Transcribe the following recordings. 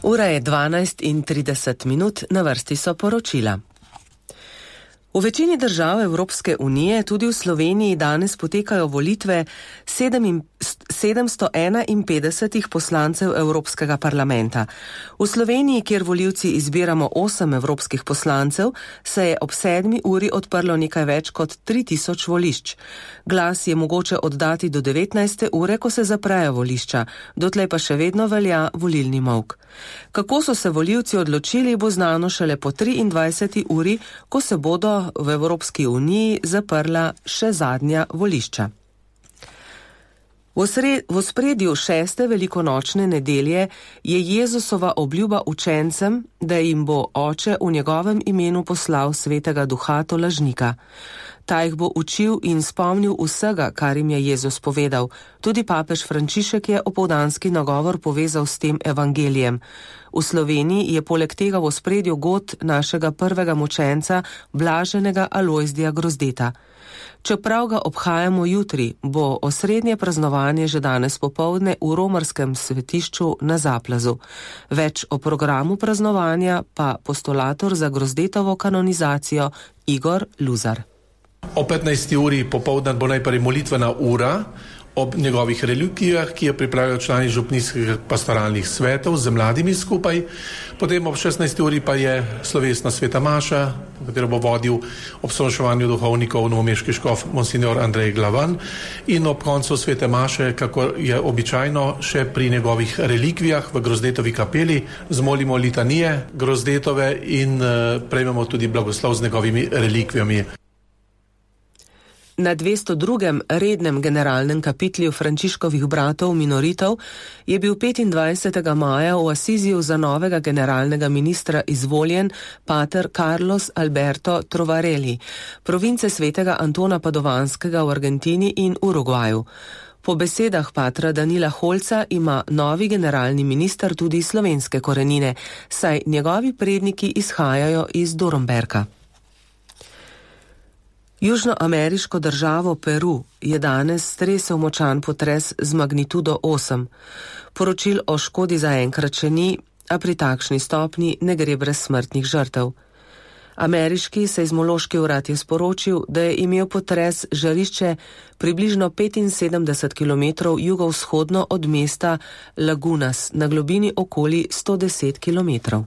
Ura je 12:30, na vrsti so poročila. V večini držav Evropske unije, tudi v Sloveniji, danes potekajo volitve 751 poslancev Evropskega parlamenta. V Sloveniji, kjer volivci izbiramo 8 evropskih poslancev, se je ob 7. uri odprlo nekaj več kot 3000 volišč. Glas je mogoče oddati do 19. ure, ko se zaprejo volišča, dotlej pa še vedno velja volilni molk. Kako so se volivci odločili, bo znano šele po 23. uri, ko se bodo v Evropski uniji zaprla še zadnja volišča. V ospredju 6. velikonočne nedelje je Jezusova obljuba učencem, da jim bo Oče v njegovem imenu poslal Svetega Duha tolažnika. Ta jih bo učil in spomnil vsega, kar jim je Jezus povedal. Tudi papež Frančišek je opoldanski nagovor povezal s tem evangelijem. V Sloveniji je poleg tega v ospredju god našega prvega mučenca, blaženega Alojzija Grozdeta. Čeprav ga obhajamo jutri, bo osrednje praznovanje že danes popoldne v romarskem svetišču na Zaplazu. Več o programu praznovanja pa postulator za Grozdetovo kanonizacijo Igor Luzar. O 15. uri popoldan bo najprej molitvena ura ob njegovih relikvijah, ki jo pripravijo člani župnijskih pastoralnih svetov z mladimi skupaj. Potem ob 16. uri pa je slovesna sveta maša, katero bo vodil ob sošovanju duhovnikov novomeški škof monsignor Andrej Glavan, in ob koncu svete maše, kako je običajno, še pri njegovih relikvijah v Grozdetovi kapeli zmolimo litanije Grozdetove in prejmemo tudi blagoslov z njegovimi relikvijami. Na 202. rednem generalnem kapitlju Frančiškovih bratov minoritov je bil 25. maja v Asiziju za novega generalnega ministra izvoljen pater Carlos Alberto Trovarelli, province svetega Antona Padovanskega v Argentini in Urugvaju. Po besedah patra Danila Holca ima novi generalni minister tudi slovenske korenine, saj njegovi predniki izhajajo iz Dornberka. Južnoameriško državo Peru je danes stresel močan potres z magnitudo 8. Poročil o škodi zaenkrat še ni, a pri takšni stopnji ne gre brez smrtnih žrtev. Ameriški seizmološki urad je sporočil, da je imel potres žarišče približno 75 km jugovzhodno od mesta Lagunas na globini okoli 110 km.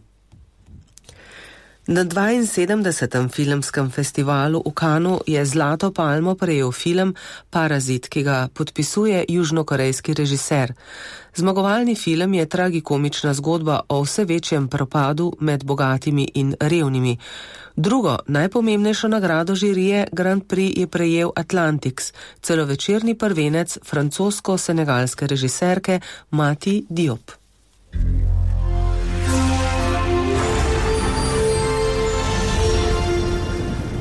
Na 72. filmskem festivalu v Cannesu je zlato palmo prejel film Parazit, ki ga podpisuje južnokorejski režiser. Zmagovalni film je tragikomična zgodba o vse večjem propadu med bogatimi in revnimi. Drugo, najpomembnejšo nagrado žirije Grand Prix je prejel Atlantics, celovečerni prvenec francosko-senegalske režiserke Mati Diop.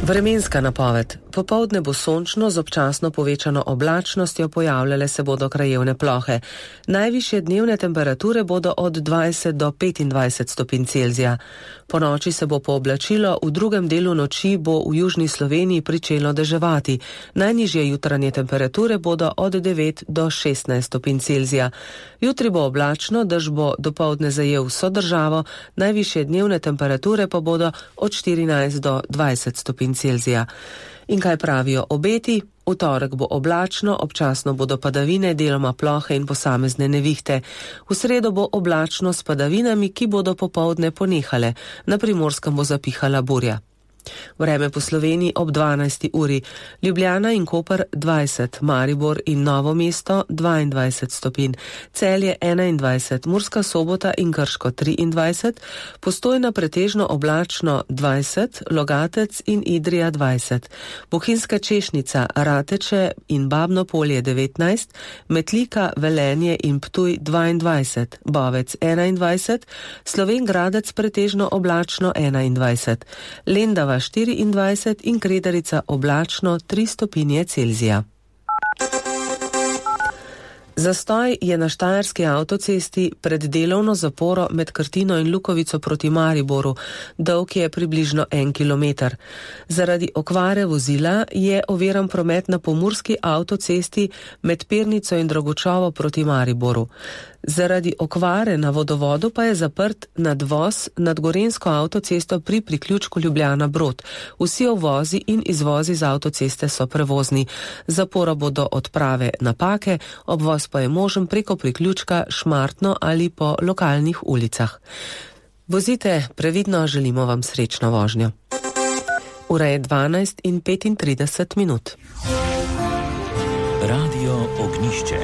Vremenska napoved. Popoldne bo sončno z občasno povečano oblačnostjo, pojavljale se bodo krajevne plohe. Najvišje dnevne temperature bodo od 20 do 25 stopinj Celzija. Po noči se bo pooblačilo, v drugem delu noči bo v južni Sloveniji pričelo deževati. Najnižje jutranje temperature bodo od 9 do 16 stopinj Celzija. Jutri bo oblačno, dež bo dopoldne zajel vso državo, najvišje dnevne temperature pa bodo od 14 do 20 stopinj Celzija. In kaj pravijo obeti? V torek bo oblačno, občasno bodo padavine, deloma plohe in posamezne nevihte. V sredo bo oblačno s padavinami, ki bodo popoldne ponehale. Na Primorskem bo zapihala burja. Vreme po Sloveniji ob 12. uri. Ljubljana in Koper 20, Maribor in Novo mesto 22 stopinj, Celje 21, Murska Sobota in Krško 23, Postojna pretežno oblačno 20, Logatec in Idrija 20, Bohinjska Češnica, Rateče in Babno Polje 19, Metlika, Velenje in Ptuj 22, Bovec 21, Slovenj Gradec pretežno oblačno 21, Lendava 24 in Kredarica oblačno 3 stopinje Celzija. Zastoj je na štajerski avtocesti pred delovno zaporo med Krtino in Lukovico proti Mariboru, dolg je približno 1 kilometer. Zaradi okvare vozila je oviran promet na pomurski avtocesti med Pernico in Dragočovo proti Mariboru. Zaradi okvare na vodovodu pa je zaprt nadvoz nad gorenjsko avtocesto pri priključku Ljubljana-Brod. Vsi uvozi in izvozi z avtoceste so prevozni. Zapora bo do odprave napake, obvoz pa je možen preko priključka Šmartno ali po lokalnih ulicah. Vozite previdno, želimo vam srečno vožnjo. Ura je 12:35. Radio Ognišče.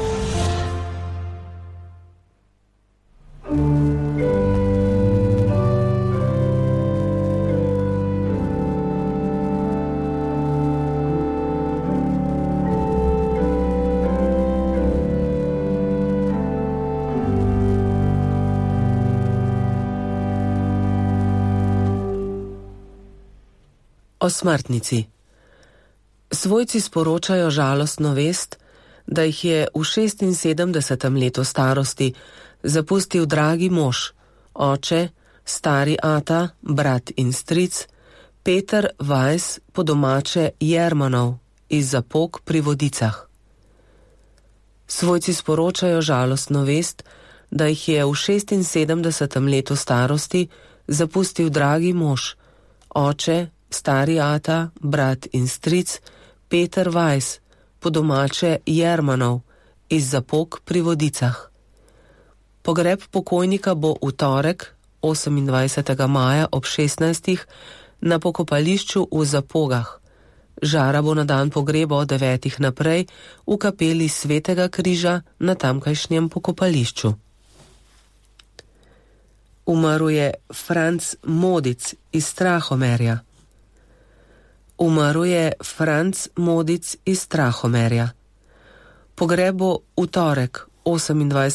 O smrtnici. Svojci sporočajo žalostno vest, da jih je v 76. letu starosti zapustil dragi mož, oče, stari ata, brat in stric, Peter Weiss, po domače Jermanov, iz Zapok pri Vodicah. Svojci sporočajo žalostno vest, da jih je v 76. letu starosti zapustil dragi mož, oče, stari ata, brat in stric, Peter Weiss, po domače Jermanov, iz Zapok pri Vodicah. Pogreb pokojnika bo v torek, 28. maja ob 16. na pokopališču v Zapogah. Žara bo na dan pogreba od 9. naprej v kapeli Svetega križa na tamkajšnjem pokopališču. Umrl je Franc Modic iz Strahomerja. Umrl je Franc Modic iz Strahomerja. Pogreb bo v torek, 28.